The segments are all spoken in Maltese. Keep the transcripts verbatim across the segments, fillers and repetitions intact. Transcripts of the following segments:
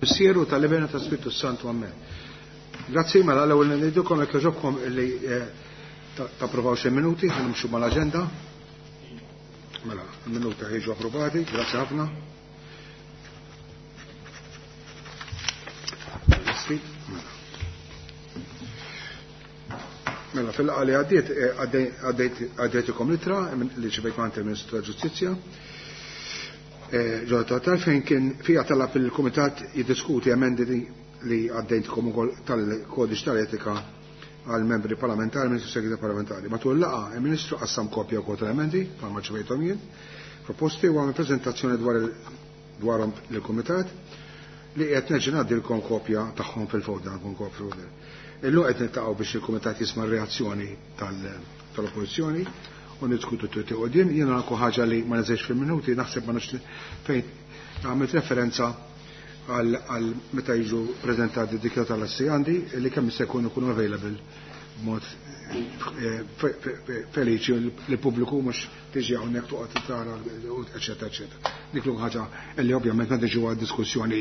Missieru tal-Ibena ta' Spiritu Santu, Amen. Grazzi, mela l-ewwel ngħidilkom jekk jogħġobkom illi tapprovaw xi minuti, ħa nimxu mal-aġenda. Mela, il-minuti ħieġu approvati, grazzi ħafna. Mela, fil-laqgħa li għaddiet għaddejtikom litra li ċivejt ma' il-Ministru tal-Ġustizzja. Ġodda fejn kien fija talab il-Kumitat jiddiskuti emendi li għaddejtkom ukoll tal-Kodiċ tal-Etika għal membri parlamentari, Ministru Segretarju Parlamentari. Matul laqgħa il-Ministru qassam kopja wkoll tal-emendi bħalma ċivejthom jien, proposti u għamel preżentazzjoni dwar dwarhom lill-Kumitat li qed nerġa' ngħaddilkom kopja tagħhom fil-folder, nkun kopja fil-folder. Illum qed niltaqgħu biex il-Kumitat jisma' r-reazzjoni tal-Oppożizzjoni u niddiskutu t qudiem. Jiena naku ħaġa li ma neżejx fil-minuti, naħseb ma nafx fejn għamilt referenza għal meta jiġu preżentati dikjara tal-assi għandi li kemm se jkunu jkunu available b'mod feliċi li pubbliku mhux tiġi hawnhekk toqgħod tara eċetera eċetera. Dik l ħaġa li ovvjament meta ġew diskussjoni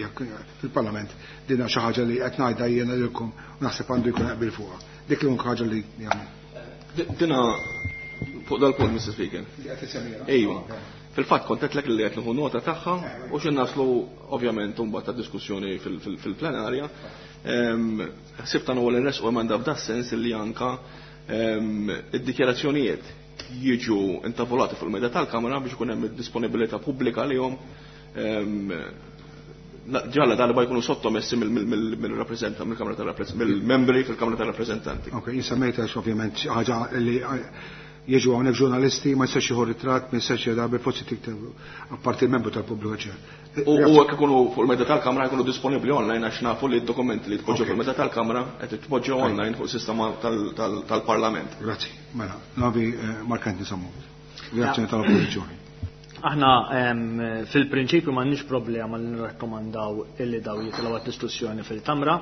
fil-Parlament din xi ħaġa li qed ngħidha jiena lilkom u naħseb għandu jkun qbil fuqha. Dik l ħaġa li jagħmel. Dina fuq dal-punt, Mister Speaker. Ejwa. Fil-fatt kont qedlek li qed nieħu nota tagħha u xi naslu ovvjament imbagħad ta' diskussjoni fil-plenarja. Ħsibt għandna wkoll inresqu emenda f'da sens li anka id-dikjarazzjonijiet jiġu intavolati fuq il-mejda tal-Kamra biex ikun hemm id-disponibilità pubblika lihom ġalla darba jkunu sottomessi mill-rappreżentant, mill-Kamra tal-Rappreżentanti, mill-membri fil-Kamra tal-Rappreżentanti. Ok, jinsemmejta ovvjament ħaġa li jiġu hawnhekk ġurnalisti ma jistax jieħu ritratt, ma jistax jgħid forsi tikteb apparti il-membru tal-pubbliku ċer. U hekk ikunu fuq il-mejda tal-Kamra jkunu disponibbli online għax nafu li d-dokumenti li tpoġġew fuq il-mejda tal-Kamra qed tpoġġew online fuq sistema tal-Parlament. Grazzi, mela, navi Mark Anthony Sammut. Reazzjoni tal-Oppożizzjoni. Aħna fil-prinċipju m'għandniex problema li nirrakkomandaw illi daw jitilgħu għad-diskussjoni fil-Kamra,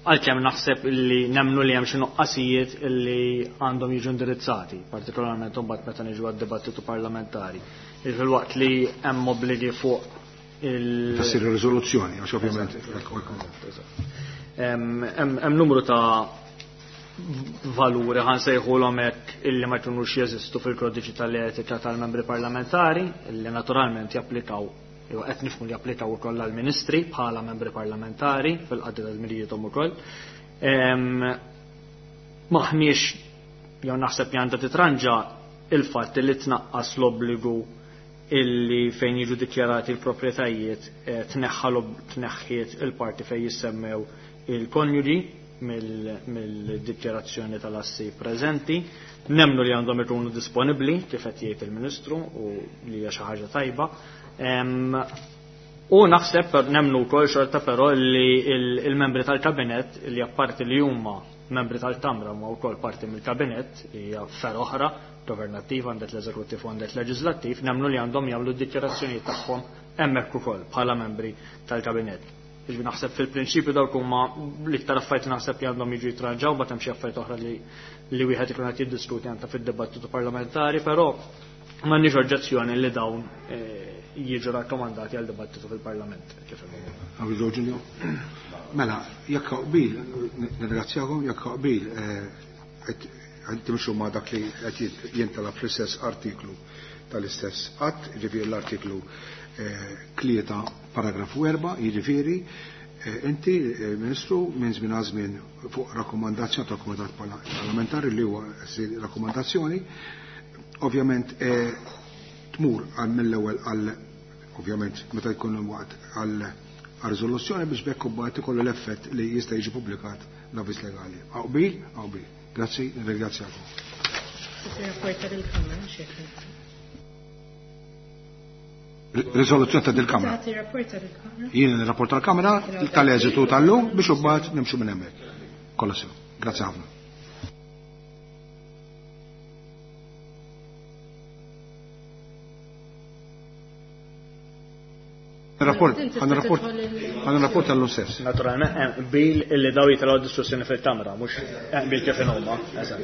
għalkemm naħseb illi nemmnu li hemm xi nuqqasijiet illi għandhom jiġu indirizzati, partikolarment imbagħad meta niġu għad-dibattitu parlamentari. Fil-waqt li hemm obbligi fuq il- Tassir riżoluzzjoni, għax ovvjament Hemm numru ta' valuri ħan sejħulhom hekk illi ma jkunux jeżistu fil-kodiċi tal-etika tal-membri parlamentari, illi naturalment japplikaw jew qed nifhmu li japplikaw ukoll għall-ministri bħala membri parlamentari fil-qadi tal-dmirijiethom ukoll. Maħniex jew naħseb li għandha titranġa il-fatt li tnaqqas l-obbligu illi fejn jiġu dikjarati l-proprjetajiet tneħħa tneħħiet il-parti fejn jissemmew il-konjuġi mill-dikjarazzjoni tal-assi preżenti. Nemmnu li għandhom ikunu disponibbli kif qed jgħid il-Ministru u li hija xi ħaġa tajba. U naħseb nemmnu wkoll xorta però li il-membri tal-kabinett li apparti li huma membri tal-Kamra huma wkoll parti mill-kabinett hija fer oħra governattiva għandet l-eżekuttiv u għandet leġislattiv, nemmnu li għandhom jagħmlu d-dikjarazzjonijiet tagħhom hemmhekk ukoll bħala membri tal-kabinett. Jiġifieri naħseb fil-prinċipju dawk huma l-iktar affarijiet naħseb li għandhom jiġu jitranġaw, bagħad hemm xi affarijiet oħra li li wieħed ikun qed jiddiskuti anke fid-dibattitu parlamentari, però m'għandniex oġġezzjoni li dawn jiġu rakkomandati għal dibattitu fil-Parlament. Kif inhu. Mela, jekk qbil, nirringrazzjakom, jekk qbil qed timxu ma' dak li qed jintalab fl-istess artiklu tal-istess att, jiġifieri l-artiklu tlieta paragrafu erba', jiġifieri inti Ministru minn żmien għal żmien fuq rakkomandazzjoni tal-Kumitat Parlamentari li huwa rakkomandazzjoni, ovvjament tmur għal mill-ewwel għal ovvjament meta jkun waqt għal riżoluzzjoni biex bekk imbagħad ikollu l-effett li jista' jiġi pubblikat l-avviż legali. Qbil, qbil. Grazzi, nirringrazzjakom. Riżoluzzjoni ta' dil-Kamra. Jien nirrapport tal-Kamra tal-eżitu tal-lum biex imbagħad nimxu minn hemmhekk. Kollha sew. Grazzi ħafna. Rapport, għan rapport, għan rapport tal-lum stess. Naturalment, bil illi daw jitilgħu diskussjoni fil-Kamra, mhux bil kif inhuma. Eżatt.